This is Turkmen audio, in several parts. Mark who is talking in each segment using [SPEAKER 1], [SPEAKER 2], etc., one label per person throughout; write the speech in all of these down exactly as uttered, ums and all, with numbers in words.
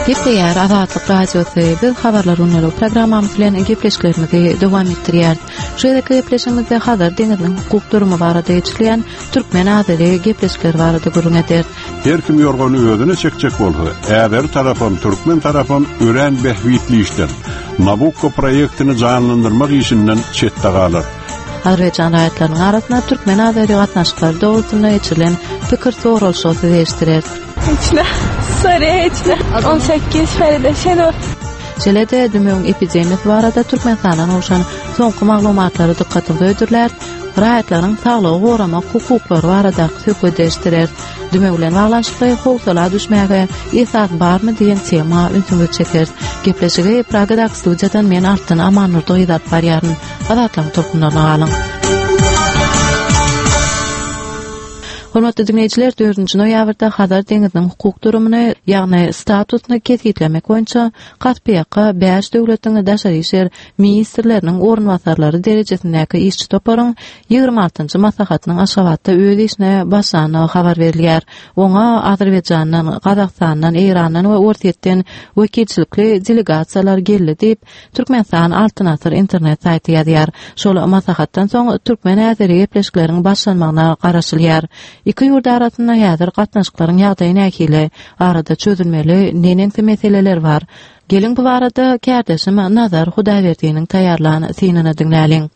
[SPEAKER 1] Gepleýär Azatlyk Radiosy. Biz habarlar günlük programmamyz bilen gepleşiklerimizi dowam etdirýäris. Şu gezekki gepleşigimizde Hazar deňiziniň hukuk durumy barada geçirilýän Türkmen-Azeri gepleşikleri barada gürrüň ederis.
[SPEAKER 2] Her kim yorgany özüne çekjek bolsa, Äzeri tarapam, türkmen tarapam örän bähbitli işden, Nabukko proýektini janlandyrmak işinden çetde galar.
[SPEAKER 1] Azerbaýjan raýatlarynyň arasynda Türkmen-Azeri gatnaşyklary dogrusynda geçirilen pikir soralyşygy size eşitdireris.
[SPEAKER 3] Heç Sarı heç on sekiz Feride Şenur.
[SPEAKER 1] Şeýle-de dümewiň epidemiýasy barada Türkmenistandan gowşan soňky maglumatlary dykgatyňyza hödürläris. Raýatlaryň saglygy goramak hukuklary baradaky söhbet eşitdireris. Dümew bilen baglanyşykly howsala düşmäge esas barmy diýen tema ünsüňizi çekeris. Gepleşigi Pragadaky studiýadan men Altyn Amannurdy gyz alyp barýaryn. Azatlygyň tolkunlaryna galyň. Hormatly dinleýjiler, dördünji noýabrda Hazar deňiziniň hukuk durumyny, ýagny statusyny kesgitlemek boýunça Kaspiýaka bäş döwletiň daşary işler ministrleriniň orunbasarlary derejesindäki işçi toparyň ýigrimi altynjy maslahatynyň Aşgabatda öz işine başlandygy habar berilýär. Oňa Azerbaýjandan, Gazagystandan, Eýrandan we Orsýetden wekilçilikli delegasiýalar geldi diýip, Türkmenistan Altyn Asyr internet saýty ýazýar. Şol maslahatdan soň türkmen-azeri gepleşikleriň başlanmagyna garaşylýar. Iki ýurt arasynda häzir gatnaşyklaryň ýagdaýy nähili? Arada çözülmeli neneňsi meseleler bar? Geliň bu barada kärdeşim Nazar Hudaýberdiniň taýýarlan synyny diňläliň.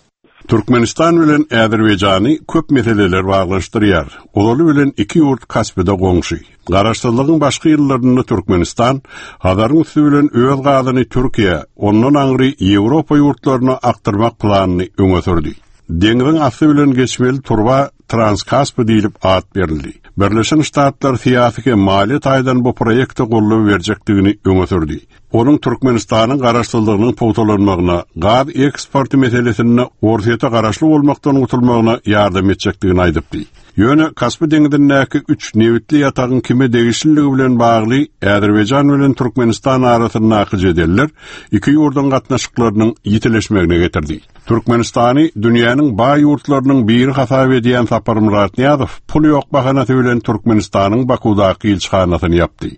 [SPEAKER 2] Türkmenistan bilen Azerbaýjany köp meseleler baglanyşdyrýar. Ozaly bilen iki ýurt Kaspide goňşy. Garaşsyzlygyň başky ýyllarynda Türkmenistan Hazaryň üsti bilen öz gazyny Türkiýe, ondan aňry Ýewropa ýurtlaryna akdyrmak planyny öňe sürdi. Deňziň asty bilen geçmeli turba Transkaspi diýlip at berildi. Birleşen Ştatlar syýasy hem maliýe taýdan bu proýekte goldaw berjekdigini öňe sürdi. Onuň Türkmenistanyň garaşsyzlygynyň pugtalanmagyna, gaz eksporty meselesinde Orsýete garaşly bolmakdan gutulmagyna ýardam etjekdigini aýdypdy. Ýöne Kaspi deňzindäki üç nebitli ýatagyň kime degişliligi bilen bagly Azerbaýjan bilen Türkmenistan arasyndaky jedeller iki ýurduň gatnaşyklarynyň ýitileşmegine getirdi. Türkmenistany dünýäniň baý ýurtlarynyň biri hasap edýän Saparmyrat Nyýazow pul ýok bahanasy bilen Türkmenistanyň Bakudaky ilçihanasyny ýapdy.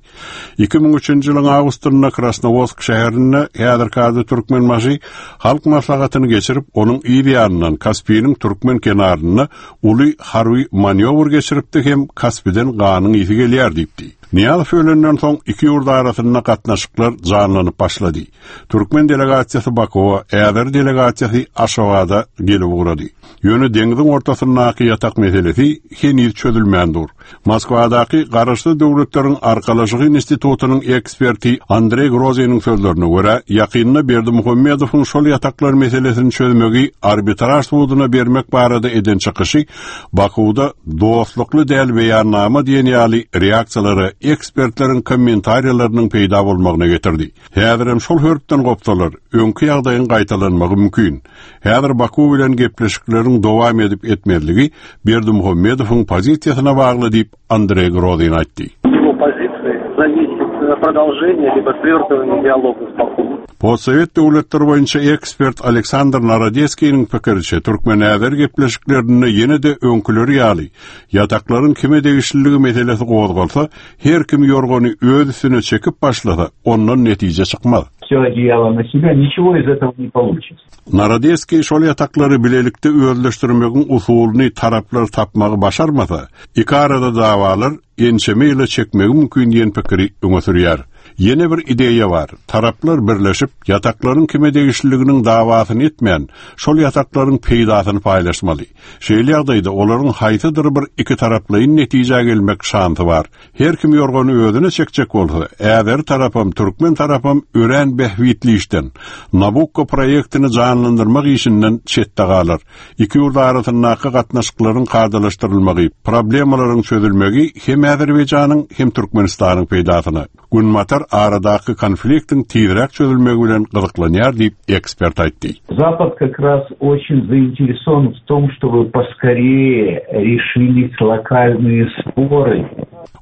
[SPEAKER 2] Iki müň üçünji ýylyň awgustynda Krasnowodsk şäherinde häzirki ady Türkmenbaşy halk maslahatyny geçirip, onuň yz ýanyndan Kaspiniň türkmen kenarynda uly harby manýowr geçiripdi hem Kaspiden ganyň ýiti gelýär diýipdi. Nyýazow ölenden soň iki ýurt arasynda gatnaşyklar janlanyp başlady. Türkmen delegasiýasy Bakuwa, Äzer delegasiýasy Aşgabada gelip ugrady. Ýöne deňziň ortasyndaky ýatak meselesi heniz çözülmän dur. Moskwadaky Garaşsyz Döwletleriň Arkalaşygy institutynyň eksperti Andrey Groziniň sözlerine görä, ýakynda Berdimuhamedowyň şol ýataklar meselesini çözmegi arbitraž suduna bermek barada eden çykyşy Bakuwda dostlukly däl beýannama diýen ýaly reaksiýalara ekspertleriň kommentariýalarynyň peýda bolmagyna getirdi. Häzirem şol hörpden gopsalar, öňki ýagdaýyň gaýtalanmagy mümkin. Häzir Baku bilen gepleşikleriň dowam edip etmezligi Berdimuhamedowyň pozisiýasyna bagly diýip Andrey Grozin aýtdy.
[SPEAKER 4] Его позиции зависит продолжение либо свертывание диалога с Баку.
[SPEAKER 2] Postsovet döwletleri boýunça ekspert Aleksandr Narodetskiniň pikiriçe Türkmen-Azer gepleşiklerinde ýene-de öňküleri ýaly ýataklaryň kime degişliligi meselesi gozgalsa, her kim ýorgany öz üstüne çekip başlasa, ondan netije çykmaz.
[SPEAKER 5] Все одеяло на себя, ничего из этого не получится.
[SPEAKER 2] Narodetskiý şol ýataklary bilelikde özleşdirmegiň usulyny taraplar tapmagy başarmasa, iki arada dawalar ençeme ýyla çekmegi mümkin diýen pikiri öňe sürýär. Ýene bir ideýa bar. Taraplar birleşip, ýataklaryň kime degişliliginiň dawasyny etmän, şol ýataklaryň peýdasyny paýlaşmaly. Şeýle ýagdaýda olaryň haýsydyr bir iki taraplaýyn netijä gelmek şansy bar. Her kim ýorgany özüne çekjek bolsa, Äzer tarapam, türkmen tarapam örän bähbitli işden, Nabukko proýektini janlandyrmak işinden çetde galar. Iki ýurt arasyndaky gatnaşyklaryň kadalaşdyrylmagy, problemalaryň çözülmegi hem Azerbaýjanyň hem Türkmenistanyň peýdasyna. Günbatar aradaky konfliktiň tizräk çözülmegi bilen gyzyklanýar diýip ekspert aýtdy.
[SPEAKER 5] Запад как раз очень заинтересован в том, чтобы поскорее решились локальные споры.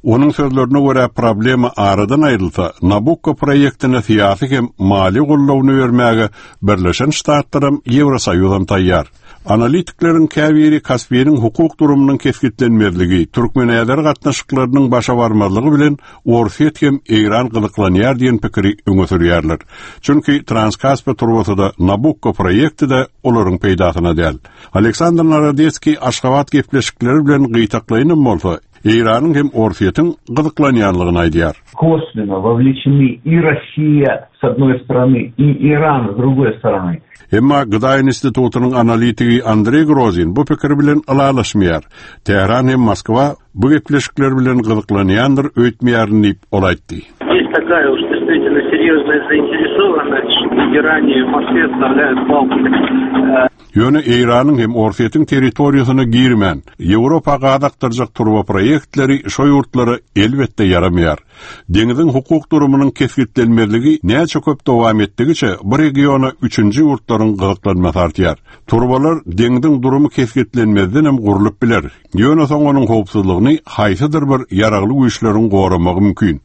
[SPEAKER 2] Onuň sözlerine görä problema aradan aýrylsa, Nabukko proýektine syýasy hem maliýe goldawyny bermäge Birleşen Ştatlaram, Ýewrosoýuzam taýýar. Analitikleriň käbiri Kaspiniň hukuk durumynyň kesgitlenmezligi, Türkmen-Azer gatnaşyklarynyň başa barmazlygy bilen Orsýet hem Eýran gyzyklanýar gyzyklanýar diýen pikiri öňe sürýärler. Çünki Transkaspi turbasy-da Nabukko proýekti-de olaryň peýdasyna däl. Aleksandr Narodetskiý Aşgabat gepleşikleri bilen gytaklaýynym bolsa, Eýranyň hem Orsýetiň gyzyklanýanlygyny aýdýar.
[SPEAKER 5] Косвенно вовлечены и Россия с одной стороны, и Иран с другой стороны.
[SPEAKER 2] Emma Gıda Institutynyň analitigi Andrey Grozin bu pikir bilen ylalaşmaýar. Tähran hem Moskwa bu gepleşikler bilen gyzyklanýandyr öýtmeýärin diýip ol aýtdy.
[SPEAKER 4] Есть такая уж действительно серьезная заинтересованность, что в Иране и в Москве вставляют палки. Э,
[SPEAKER 2] Ýöne Eýranyň hem Orsýetiň territoriýasyna girmän, Ýewropa gaz akdyrjak turba proýektleri şo ýurtlara elbetde ýaramaýar. Deňiziň hukuk durumynyň kesgitlenmezligi näçe köp dowam etdigiçe bu regiona üçünji ýurtlaryň gyzyklanmasy artýar. Turbalar deňiziň durumy kesgitlenmezden hem gurlup biler. Ýöne soň onuň howpsuzlygyny haýsydyr bir ýaragly güýçleriň goramagy mümkin.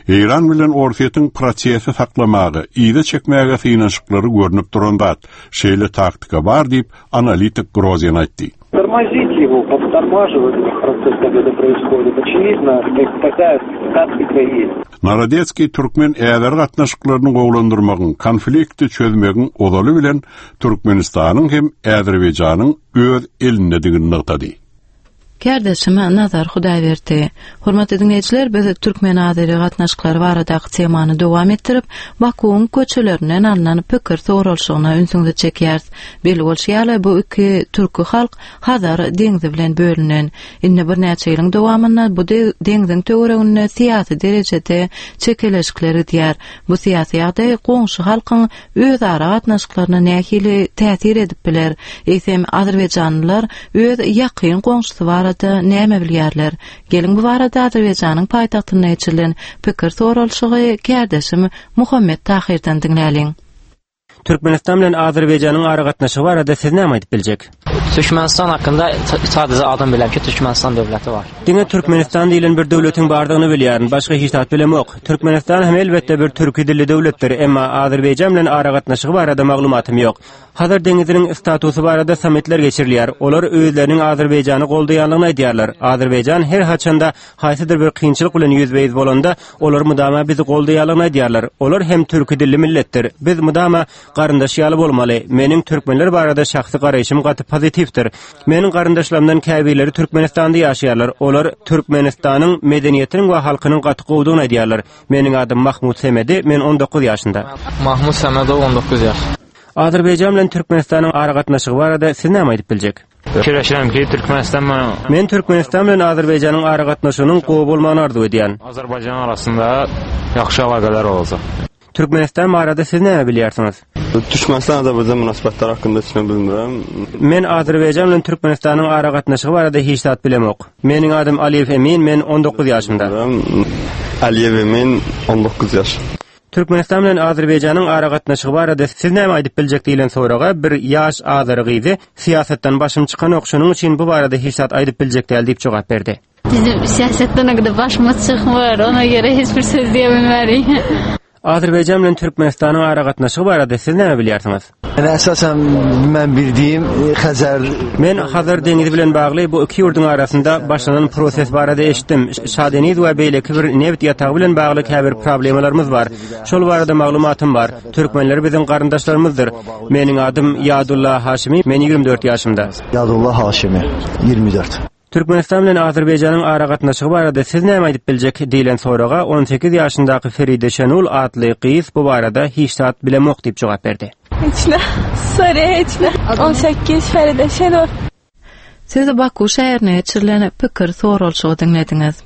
[SPEAKER 2] Eýran bilen Orsýetiň prosesi saklamagy, ýa-da çekmäge synanyşyklary görnüp duran zat. Şeýle taktika bar diýip analitik Grozin aýtdy.
[SPEAKER 4] Тормозить его, подтормаживать этот процесс, когда это происходит. Очевидно, как такая тактика есть.
[SPEAKER 2] Narodetskiý türkmen äzer gatnaşyklaryny gowulandyrmagyň, konflikti çözmegiň ozaly bilen Türkmenistanyň hem Azerbaýjanyň öz elindedigini nygtady.
[SPEAKER 1] Kärdeşim Nazar Hudaýberdi. Hormatly dinleýjiler, biz Türkmen Azeri gatnaşyklary baradaky temany dowam etdirip, Bakuwyň köçelerinden alnan pikir soralyşygyna ünsüňizi çekýäris. Belli bolşy ýaly, bu iki türki halk Hazar deňzi bilen bölünen. Indi birnäçe ýylyň dowamynda bu de-, deňziň töwereginde syýasy derejede çekeleşikler edýär. Bu syýasy ýagdaý goňşy halkyň özara gatnaşyklaryna nähili täsir edip biler? Eýsem Azerbaýjanlylar öz ýakyn goňşusy barada näme bilýärler? Geliň bu barada Azerbaýjanyň paýtagtynda geçirilen pikir soralyşygy kärdeşim Muhammet Tahirden diňläliň.
[SPEAKER 6] Türkmenistan bilen Azerbaýjanyň aragatnaşygy barada siz näme aýdyp biljek?
[SPEAKER 7] Türkmenistan hakkında sadəcə adam biləm ki, Türkmenistan dövləti var.
[SPEAKER 6] Diňe Türkmenistan diýilen bir döwletiň bardygyny bilýärin, başga hiç zat bilemok. Türkmenistan hem elbetde bir türki dilli döwletdir, emma Azerbaýjan bilen aragatnaşygy barada maglumatym ýok. Hazar deňiziniň statusy barada sammitler geçirilýär. Olar özleriniň Azerbaýjany goldaýanlygyny aýdýarlar. Azerbaýjan her haçanda haýsydyr bir kynçylyk bilen ýüzbe-ýüz bolanda, olar mudama bizi goldaýanlygyny aýdýarlar. Olar hem türki dilli milletdir. Biz mudama garyndaş ýaly bolmaly. Meniň türkmenler barada şahsy garaýşym gaty pozitifdir. Meniň garyndaşlarymdan käbirleri Türkmenistanda ýaşaýarlar. Olar Türkmenistanyň medeniýetiniň we halkynyň gaty gowudygyny aýdýarlar. Meniň adym Mahmut Semedi, men on dokuz ýaşynda.
[SPEAKER 7] Mahmut Semedov on dokuz ýaş.
[SPEAKER 6] Azerbaýjan bilen Türkmenistanyň aragatnaşygy barada siz näme aýdyp biljek?
[SPEAKER 7] Fikirləşirəm ki, Türkmenistan bilen
[SPEAKER 6] Men Türkmenistan bilen Azerbaýjanyň aragatnaşygynyň gowy bolmagyny arzuw edýän.
[SPEAKER 7] Azerbaycan arasında yaxşı əlaqələr olacaq.
[SPEAKER 6] Türkmenistan barada siz näme bilýärsiňiz?
[SPEAKER 8] Türkmenistan Azerbaycan münasibətləri haqqında heç nə bilmirəm.
[SPEAKER 6] Men Azerbaycan bilen Türkmenistanyň aragatnaşygy barada hiç zat bilemok. Meniň adym Aliýew Emin, men on dokuz ýaşymda.
[SPEAKER 8] Aliýew Emin, on dokuz ýaş.
[SPEAKER 6] Türkmenistan bilen Azerbaýjanyň aragatnaşygy barada siz näme aýdyp biljek diýlen soraga bir ýaş Azeri gyzy syýasatdan başym çykanok, şonuň üçin bu barada hiç zat aýdyp biljek däl diýip jogap berdi.
[SPEAKER 9] Bizim siyasetden ne kadar başımız çıkmıyor, ona göre hiçbir söz diyebilmeyiz.
[SPEAKER 6] Azerbaycan bilen Türkmenistanyň aragatnaşygy barada siz näme bilýärsiňiz?
[SPEAKER 10] Yani esasen men bildiğim Xəzər
[SPEAKER 6] Men Hazar deňizi bilen bagly bu iki ýurduň arasynda başlanan proses barada eşitdim. Şadeniz we beýleki bir neft ýatagy bilen bagly käbir problemalarymyz bar. Şol barada maglumatym bar. Türkmenler biziň garyndaşlarymyzdyr. Meniň adym Ýadullah Haşimi, men ýigrimi dört ýaşymda.
[SPEAKER 10] Ýadullah Haşimi, ýigrimi dört.
[SPEAKER 6] Türkmenistan bilen Azerbaýjanyň aragatnaşygy barada siz näme aýdyp biljek diýlen soraga on sekiz ýaşyndaky Feride Şenul atly gyz bu barada hiç zat bilemok diýip jogap berdi.
[SPEAKER 3] Hiç ne? Soru hiç ne? on sekiz Feride Şenul.
[SPEAKER 1] Siz Baku şäherine geçirilen pikir soralyşygy diňlediňiz.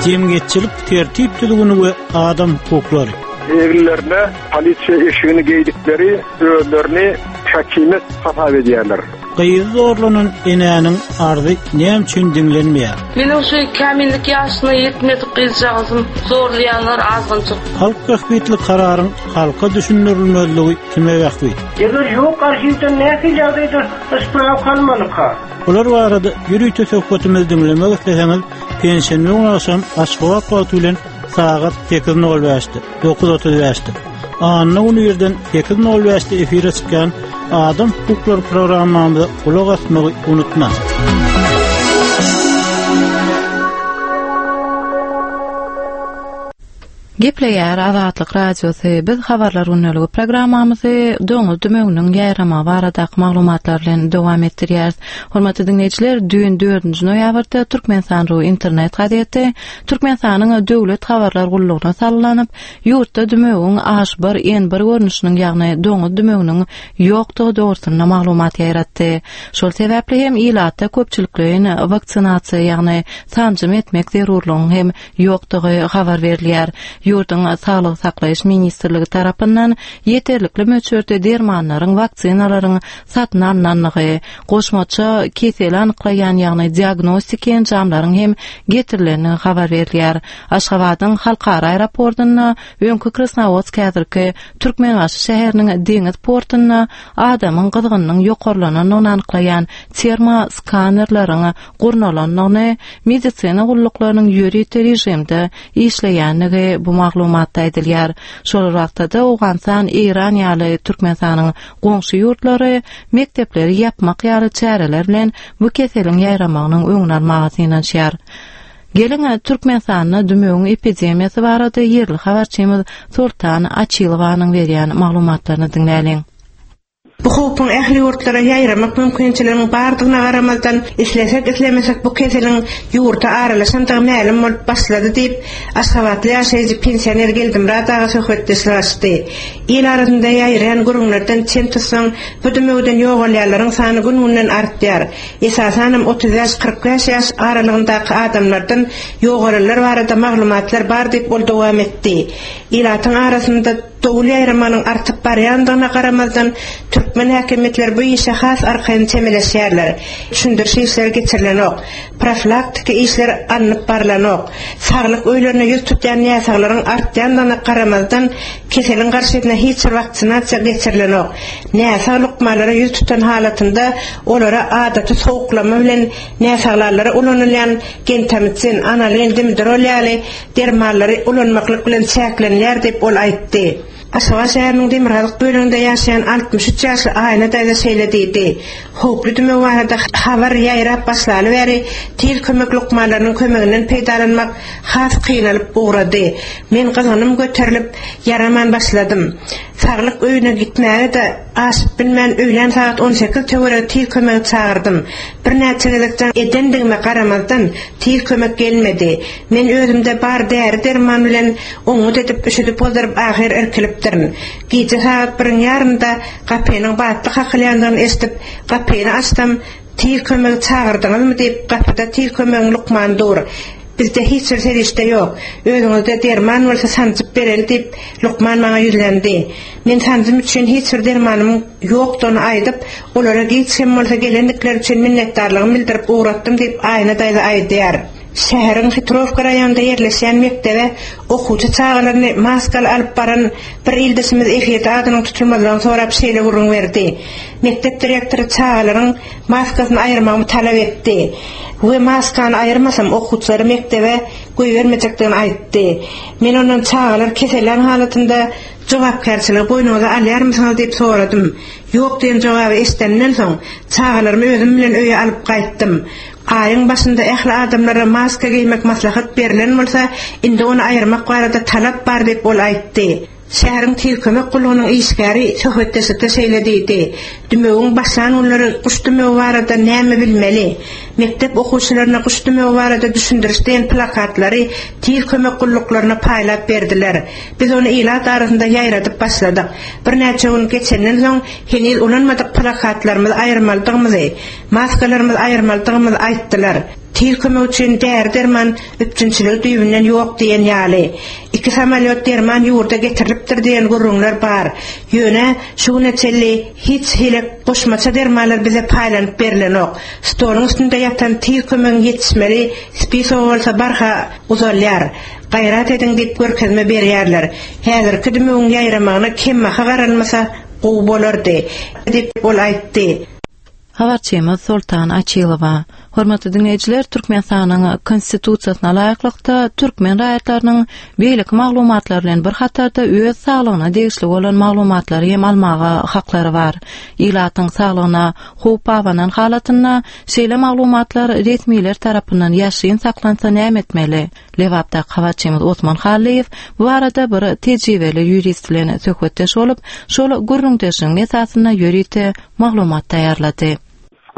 [SPEAKER 11] Jemgyýetçilik tertip düzgüni we adam hukuklary.
[SPEAKER 12] Eginlerine polisiýa eşigini geýdikleri özlerini hakimet hasap edýärler.
[SPEAKER 11] Gyz zorlanan enäniň arzy näme üçin diňlenmeýär?
[SPEAKER 13] Meniň şu kämillik ýaşyna ýetmedik gyzjagazym zorlaýanlar azgynçyk.
[SPEAKER 11] Halk bähbitli kararyň halka düşündirilmezligi kime bähbit?
[SPEAKER 14] Eger ýok arhiwden nähili ýagdaýda ysprap kalmalyka?
[SPEAKER 11] Bular barada ýörite söhbetimizi diňlemek isleseňiz, penşenbe güni agşam Aşgabat wagty bilen sagat sekiz nol bäşde, dokuz otuz bäşde. Anna güni ýerden sekiz nol bäşde efire çykýan Adam hukuklary programmamyza gulak asmagy unutmaň.
[SPEAKER 1] Gepleýär Azatlyk Radiosy. Biz habarlar günlügi programmamyzy doňuz dümewiniň ýaýramagy baradaky maglumatlar bilen dowam etdirýäris. Hormatly dinleýjiler, düýn dördünji noýabrda Türkmenistan Ru internet gazeti Türkmenistanyň döwlet habarlar gullugyna sallanyp, ýurtda dümewiň H bir N bir görnüşiniň, ýagny doňuz dümewiniň ýokdugy dogrusynda maglumat ýaýratdy. Şol sebäpli hem ilatda köpçülikleýin waksinasiýa, ýagny sanjym etmek zerurlygyň hem ýokdugy habar berilýär. Ýurduň Saglyk saklaýyş ministrligi tarapyndan ýeterlikli möçberde dermanlaryň, waksinalaryň satyn alnandygy, goşmaça keseli anyklaýan, ýagny diagnostik enjamlaryň hem getirilendigi habar berilýär. Aşgabadyň halkara aeroportunda, öňki Krasnowodsk häzirki Türkmenbaşy şäheriniň deňiz portunda adamyň gyzgynynyň ýokarlanandygyny anyklaýan termoskanerleriň gurnalandygyny, medisina gulluklarynyň ýörite režimde işleýändigi bu maglumatda aýdylýar. Şol wagtda Owganystan, Eýran ýaly Türkmenistanyň goňşy ýurtlary mekdepleri ýapmak ýaly çäreler bilen bu keseliň ýaýramagynyň öňüni almaga synanyşýar. Geliň Türkmenistanda dümewiň epidemiýasy barada ýerli habarçymyz Sultan Açylowanyň berýän maglumatlaryny diňläliň.
[SPEAKER 15] Bu howpuň ähli ýurtlara ýaýramak mümkinçiliginiň bardygyna garamazdan, islesek islemesek bu keseliň ýurda aralaşandygy mälim bolup başlady diýip, Aşgabatly ýaşaýjy pensioner Geldimyrat aga söhbetdeşlik açdy. Il arasynda ýaýraýan gürrüňlerden çen tutsaň, bu dümewden ýogalýanlaryň sany gün-günden artýar. Esasanam otuz bäş kyrk bäş ýaş aralygyndaky adamlardan ýogalanlar barada maglumatlar bar diýip ol dowam etdi. Ilatyň arasynda dowul ýaýramanyň artyp barýandygyna garamazdan, türkmen häkimiýetleri bu işe has arkaýyn çemeleşýärler. Düşündiriş işleri geçirilenok, profilaktiki işler alnyp barlanok. Saglyk öýlerine ýüz tutýan näsaglaryň artýandygyna garamazdan, keseliň garşysyna hiç bir waksinasiýa geçirilenok. Näsag lukmanlara ýüz tutan halatynda olara adaty sowuklama bilen näsaglarlara ulanylýan gentamicin, analin, dimedrol ýaly dermanlary ulanmaklyk bilen çäklenilýär diýip ol aýtdy. Aşgabat şäheriniň demirgazyk bölüminde ýaşaýan altmyş üç ýaşly Aýna daýza şeýle diýdi. Howply dümew barada habar ýaýrap başlaly bäri tiz kömek lukmanlarynyň kömeginden peýdalanmak has kynalyp ugrady. Men gyzgynym göterilip ýaraman başladym. Saglyk öýüne gitmäge-de aşyp bilmän öýlän sagat on sekiz töweregi tiz kömegi çagyrdym. Birnäçe gezek jaň edendigime garamazdan tiz kömek gelmedi. Men özümde bar däri derman bilen oňňut edip üşüdüp gozduryp ahyr irkilipdirin. Gije sagat biriň ýarynda gapynyň batly kakylýandygyny eşidip, gapyny açsam, tiz kömegi çagyrdyňyzmy diýip gapyda tiz kömegiň lukmany dur. Bizde hiç bir serişde ýok. Özüňizde derman bolsa sanjyp bereli diýip lukman maňa ýüzlendi. Men sanjym üçin hiç bir dermanymyň ýokdugyny aýdyp, olara giç hem bolsa gelendikleri üçin minnetdarlygymy bildirip ugratdym diýip Aýna daýza aýdýar. Şäheriň Hitrowka raýonynda ýerleşýän mekdebe okuwçy çagalaryny maskaly alyp baran bir ildeşimiz efirde adynyň tutulmazlygyny sorap şeýle gürrüň berdi. Mekdep direktory çagalaryň maskasyny aýyrmagymy talap etdi we maskany aýyrmasam okuwçylary mekdebe goýbermejekdigini aýtdy. Men ondan çagalar kesellän halatynda jogapkärçiligi boýnuňyza alýarmysyňyz diýip soradym. Ýok diýen jogaby eşidenden soň çagalarymy özüm bilen öýe alyp gaýtdym. Aýyň başynda ähli adamlara maska geýmek maslahat berilen bolsa, indi ony aýyrmak barada talap bar diýip ol aýtdy. Şäheriň tiz kömek gullugynyň işgäri söhbetdeşlikde şeýle diýdi. Dümewiň başlan günleri guş dümewi barada näme bilmeli? Mekdep okuwçylaryna guş dümewi barada düşündiriş diýen plakatlary tiz kömek gulluklaryna paýlap berdiler. Biz ony ilat arasynda ýaýradyp başladyk. Birnäçe gün geçenden soň heniz ulanmadyk plakatlarymyzy aýyrmalydygymyzy, maskalarymyzy aýyrmalydygymyzy aýtdylar. Tiz kömek üçin däri derman üpjünçiligi düýbünden ýok diýen ýaly. Iki samolýot derman ýurda getirilipdir diýen gürrüňler bar. Ýöne şu güne çenli hiç hili goşmaça dermanlar bize paýlanyp berilenok. Stoluň üstünde ýatan tiz kömegiň ýetişmeli spisogy bolsa barha uzalýar. Gaýrat ediň diýip görkezme berýärler. Häzirki dümewiň ýaýramagyna kemmaha garalmasa gowy bolardy diýip ol aýtdy.
[SPEAKER 1] Habarçymyz Soltan Açylowa. Hormatly diňleýjiler, Türkmenistanyň Konstitusiýasyna laýyklykda türkmen raýatlarynyň beýleki maglumatlar bilen bir hatarda öz saglygyna degişli bolan maglumatlary hem almaga haklary bar. Ilatyň saglygyna howp abanan halatynda şeýle maglumatlar resmiler tarapyndan ýaşyryn saklansa näme etmeli? Lebapdaky habarçymyz Osman Hallyýew bu barada bir tejribeli ýurist bilen söhbetdeş bolup, şol gürrüňdeşligiň esasynda ýörite maglumat taýýarlady.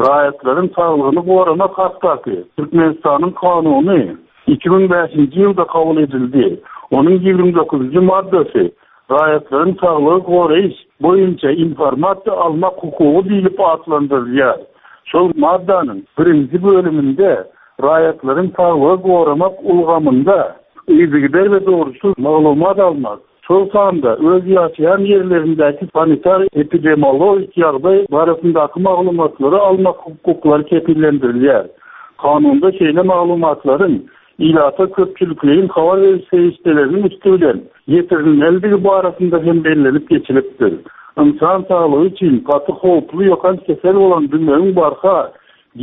[SPEAKER 16] Raýatlaryň saglygyny goramak hakdaky Türkmenistanyň kanuny iki müň bäşinji ýylda kabul edildi. Onuň ýigrimi dokuzynjy maddasy raýatlaryň saglygy goraýyş boýunça informasiýa almak hukugy diýlip atlandyrylýar. Şol maddanyň birinji bölüminde raýatlaryň saglygy goramak ulgamynda yzygider we dogruçyl maglumat almak, şol sanda öz ýaşaýan ýerlerindäki sanitar epidemiologik ýagdaý barasyndaky maglumatlary almak hukuklary kepillendirilýär. Kanunda şeýle maglumatlaryň ilata köpçülikleýin habar beriş serişdeleriniň üsti bilen ýetirilmelidigi barasynda hem bellenip geçilipdir. Insan saglygy üçin gaty howply ýokanç kesel bolan dümewiň barha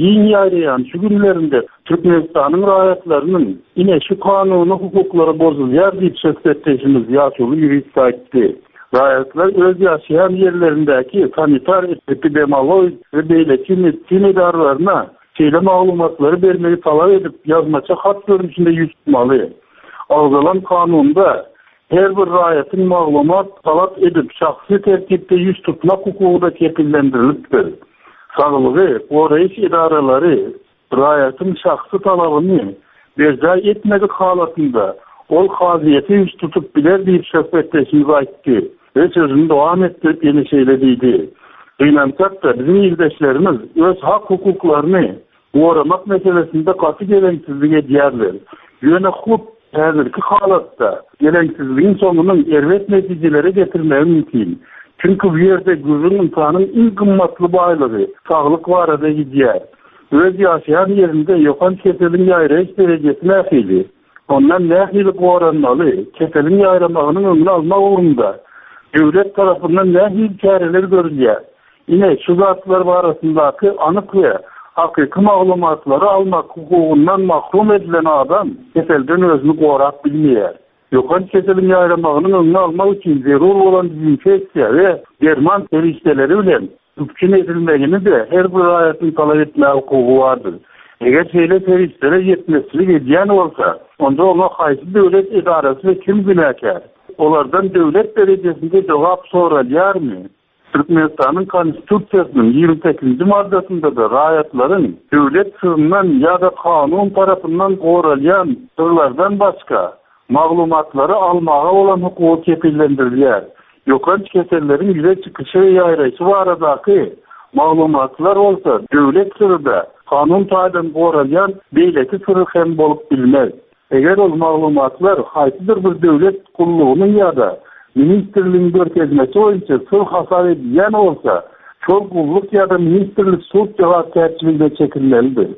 [SPEAKER 16] giň ýaýraýan şu günlerinde Türkmenistanyň raýatlarynyň ine şu kanuny hukuklary bozulýar diýip söhbetdeşimiz ýaşuly ýurist aýtdy. Raýatlar öz ýaşaýan ýerlerindäki sanitar epidemiologik we beýleki medisina edaralaryna şeýle maglumatlary bermegi talap edip ýazmaça hat görnüşinde ýüz tutmaly. Agzalan kanunda her bir raýatyň maglumat talap edip şahsy tertipde ýüz tutmak hukugy da kepillendirilipdir. Saglygy goraýyş edaralary raýatyň şahsy talabyny berjaý etmedik halatynda ol kazyýete ýüz tutup biler diýip söhbetdeşimiz aýtdy we sözüni dowam etdirip ýene şeýle diýdi. Gynansak-da biziň ildeşlerimiz öz hak hukuklaryny goramak meselesinde gaty geleňsizlik edýärler. Ýöne hut häzirki halatda geleňsizligiň soňunyň erbet netijelere getirmegi mümkin. Çünki bu ýerde gürrüň insanyň iň gymmatly baýlygy saglyk barada gidýär. Öz ýaşaýan ýerinde ýokanç keseliň ýaýraýyş derejesi nähili? Ondan nähili goranmaly? Keseliň ýaýramagynyň öňüni almak ugrunda döwlet tarapyndan nähili çäreler görülýär? Ine şu zatlar barasyndaky anyk we hakyky maglumatlary almak hukugyndan mahrum edilen adam keselden özüni gorap bilmeýär. Ýokanç keseliň ýaýramagynyň öňüni almak üçin zerur bolan dezinfeksiýa we derman serişdeleri bilen üpjün edilmegini de her bir raýatyň talap etmäge hukugy bardyr. Eger şeýle serişdelere ýetmezçilik edýän bolsa, onda oňa haýsy döwlet edarasy we kim günäkär? Olardan döwlet derejesinde jogap soralýarmy? Türkmenistanyň Konstitusiýasynyň ýigrimi sekizinji maddasynda da raýatlaryň döwlet syryndan ýa-da kanun tarapyndan goralýan syrlardan başga maglumatlary almaga bolan hukugy kepillendirilýär. Ýokanç keselleriň ýüze çykyşy we ýaýraýşy baradaky maglumatlar bolsa döwlet syry-da kanun taýdan goralýan beýleki syry hem bolup bilmez. Eger ol maglumatlar haýsydyr bir döwlet gullugynyň ýa-da ministrligiň görkezmesi boýunça syr hasap edilýän bolsa, şol gulluk ýa-da ministrlik sud jogapkärçiligine çekilmelidir.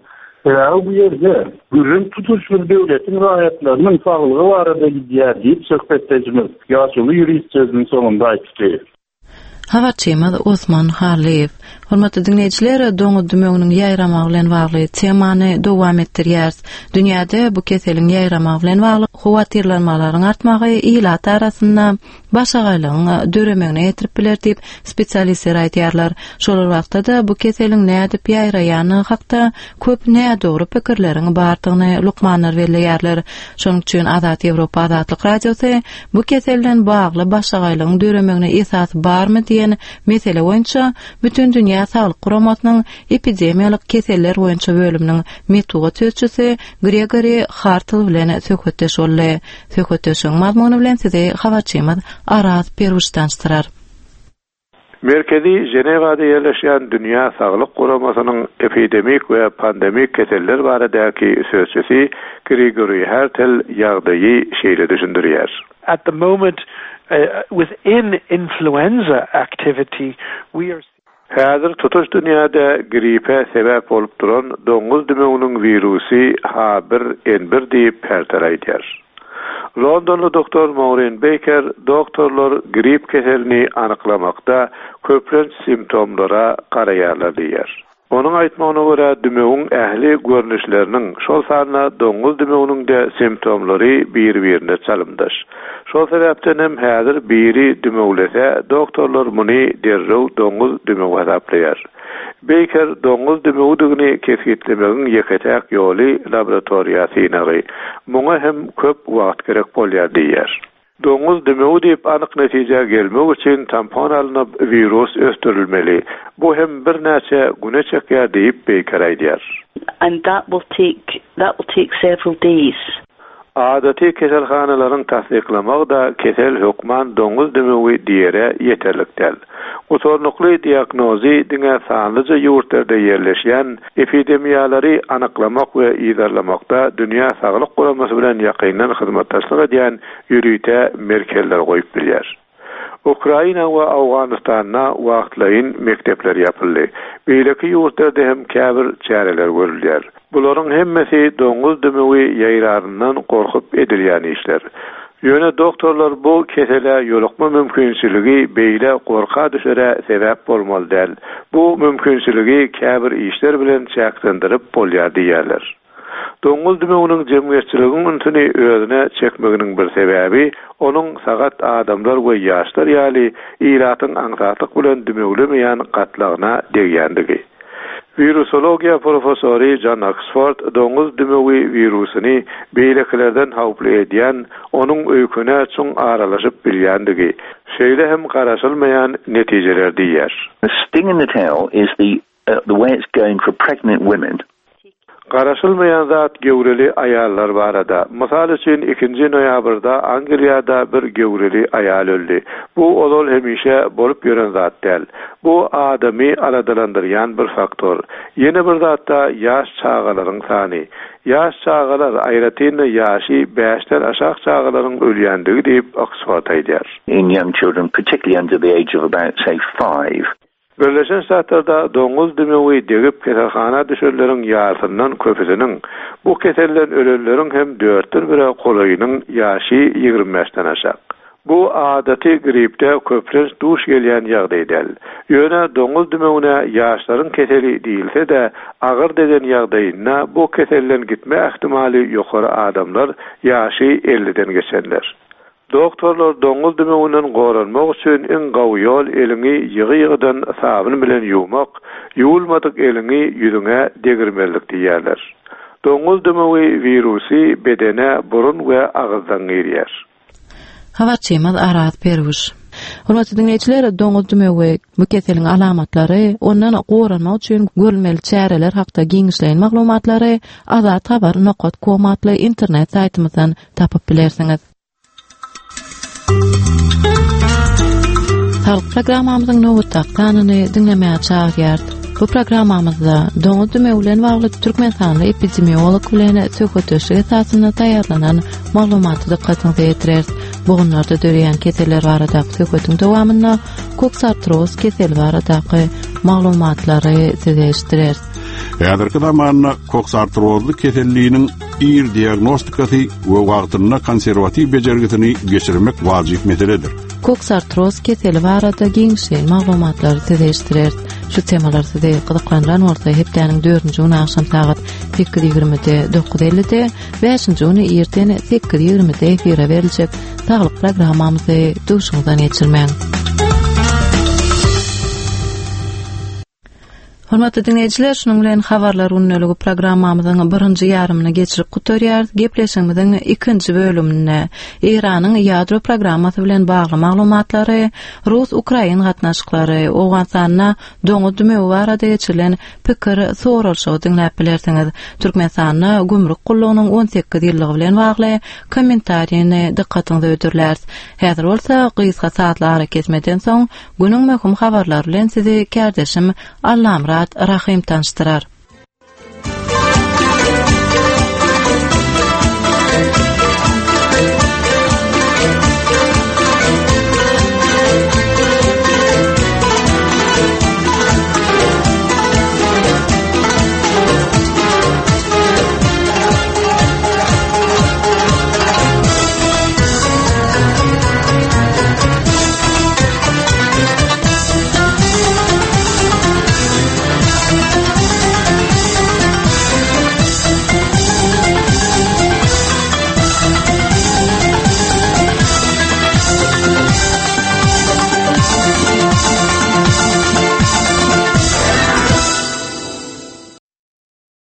[SPEAKER 16] Sebäbi bu ýerde gürrüň tutuş bir döwletiň raýatlarynyň saglygy barada gidýär diýip söhbetdeşimiz ýaşuly ýurist sözüniň soňunda aýtdy.
[SPEAKER 1] Habarçymyz Osman Hallyýew. Hormatly diňleýjiler, doňuz dümewiniň ýaýramagy bilen bagly temany dowam etdirýäris. Dünýäde bu keseliň ýaýramagy bilen bagly howatyrlanmalaryň artmagy ilat arasynda başagaýlygyň döremegine getirip biler diýip spesialistler aýdýarlar. Şol wagtda-da bu keseliň nädip ýaýraýany hakda köp nädogry pikirleriň bardygyny lukmanlar belleýärler. Şonuň üçin Azat Ýewropa Azatlyk Radiosy bu keselden bagly başagaýlygyň döremegine esas barmy diýen mesele boýunça Bütün Dünýä Saglyk Guramasynyň epidemiýalyk keseller boýunça bölüminiň metbugat sözçüsi Gregory Hartl bilen söhbetdeş boldy. Söhbetdeşligiň mazmuny bilen sizi habarçymyz Araz Peruş tanyşdyrar.
[SPEAKER 17] Merkezi Ženewada ýerleşýän Dünýä Saglyk Guramasynyň epidemik we pandemik keseller baradaky sözçüsi Gregory Hartel ýagdaýy şeýle düşündirýär.
[SPEAKER 18] At the moment, uh, within influenza activity, we are
[SPEAKER 17] Häzir tutuş dünýäde gripe sebäp bolup duran doňuz dümewiniň wirusy H bir N bir diýip Hartel aýdýar. Londonly doktor Maureen Baker doktorlar grip keselini anyklamakda köplenç simptomlara garaýarlar diýýär. Onuň aýtmagyna görä, dümewiň ähli görnüşleriniň, şol sanda doňuz dümewiniň-de simptomlary bir-birine çalymdaş. Şol sebäpden hem häzir biri dümewlese, doktorlar muny derrew doňuz dümewi hasaplaýar. Baker doňuz dümewdigini kesgitlemegiň ýeke-täk ýoly laboratoriýa synagy. Muňa hem köp wagt gerek bolýar diýýär. Doňuz dümewi diýip anyk netijä gelmek üçin tampon alnyp wirus ösdürilmeli. Bu hem birnäçe güne çekýär diýip Baker aýdýar.
[SPEAKER 13] And that will take that will take several days.
[SPEAKER 17] Adaty keselhanalaryň tassyklamagy-da kesel hökman doňuz dümewi diýere ýeterlik däl. Gutarnykly diagnozy diňe sanlyja ýurtlarda ýerleşýän epidemiýalary anyklamak we yzarlamakda Dünýä Saglyk Guramasy bilen ýakyndan hyzmatdaşlyk edýän ýörite merkezler goýup bilýär. Ukraina we Owganystanda wagtlaýyn mekdepler ýapyldy. Beýleki ýurtlarda hem käbir çäreler görülýär. Bularyň hemmesi doňuz dümewi ýaýraryndan gorkup edilýän işler. Ýöne doktorlar bu kesele ýolukma mümkinçiligi beýle gorka düşere sebäp bolmaly däl. Bu mümkinçiligi käbir işler bilen çäklendirip bolýar diýýärler. Doňuz dümewiniň jemgyýetçiligiň ünsüni özüne çekmeginiň bir sebäbi onuň sagat adamlar we ýaşlar ýaly ilatyň aňsatlyk bilen dümewlemeýän gatlagyna degýändigi. Wirusologiýa professory John Oxford doňuz dümewi wirusyny beýlekilerden howply edýän, onuň öýküne çuň aralaşyp bilýändigi, şeýle hem garaşylmaýan netijeler diýýär.
[SPEAKER 19] The sting in the tail is the uh, the way it's going for pregnant women.
[SPEAKER 17] Garaşylmaýan zat göwreli aýallar barada. Mysal üçin ikinji noýabrda Angliýada bir göwreli aýal öldi. Bu ozal hemişe bolup ýören zat däl. Bu adamy aladalandyrýan bir faktor. Ýene bir zatda ýaş çagalaryň sany. Ýaş çagalar aýratyn-da ýaşy bäşden aşak çagalaryň ölýändigi diýip Oxford aýdýar.
[SPEAKER 19] In young children, particularly under the age of about, say, five.
[SPEAKER 17] Birleşen Ştatlarda doňuz dümewi degip keselhana düşenleriň ýarysyndan köpüsiniň, bu keselden ölenleriň hem dörtden bire golaýynyň ýaşy ýigrimi bäşden aşak. Bu adaty gripde köplenç duş gelýän ýagdaý däl. Ýöne doňuz dümewine ýaşlaryň keseli diýilse-de, agyr degen ýagdaýynda bu keselden gitme ähtimaly ýokary adamlar ýaşy elliden geçenler. Doktorlar doňuz dümewinden goranmak üçin iň gowy ýol eliňi ýygy-ýygydan sabyn bilen ýuwmak, ýuwulmadyk eliňi ýüzüňe degirmezlik diýýärler. Doňuz dümewi wirusy bedene burun we agyzdan girýär.
[SPEAKER 1] Habarçymyz Araz Perwiş. Hormatly diňleýjiler, doňuz dümewi bu keseliň alamatlary, ondan goranmak üçin görülmeli çäreler hakda giňişleýin maglumatlary azathabar nokat com atly internet saýtymyzdan tapyp bilersiňiz. Saglyk programmamyzyň nobatdaky sanyny diňlemäge çagyrýarys. Bu programmamyzda doňuz dümewi bilen bagly Türkmenistanly epidemiolog bilen söhbetdeşlik esasynda taýýarlanan maglumaty dykgatyňyza ýetireris. Bogunlarda döreýän keseller baradaky söhbetiň dowamynda koksartroz keseli baradaky maglumatlary size eşitdireris.
[SPEAKER 2] Häzirki zamanda koksartrozly keselliniň ir diagnostikasy we wagtynda konserwatiw bejergisini geçirmek wajyp meseledir.
[SPEAKER 1] Koksartroz keseli barada giňişleýin maglumatlary size eşitdireris. Şu temalar sizi gyzyklandyran bolsa hepdäniň dördünji güni agşam sagat sekiz ýigrimide dokuz ellide, bäşinji güni irden sekiz ýigrimide efire beriljek saglyk programmamyzy duşuňyzdan geçirmäň. Hormatly diňleýjiler, şunuň bilen habarlar gündeligi programmamyzyň birinji ýarymyny geçirip gutarýarys. Gepleşigimiziň ikinji bölüminde Eýranyň ýadro programmasy bilen bagly maglumatlary, Rus-Ukrain gatnaşyklary, Owganystanda doňuz dümewi barada geçirilen pikir soralşygy diňläp bilersiňiz. Türkmenistanda gümrük gullugynyň on sekiz ýyllygy bilen bagly kommentariýany dykgatyňyza hödürläris. Häzir bolsa gysga saatly ara kesmeden soň günüň möhüm habarlary bilen sizi kärdeşim Allamyrat Rahym tanyşdyrar.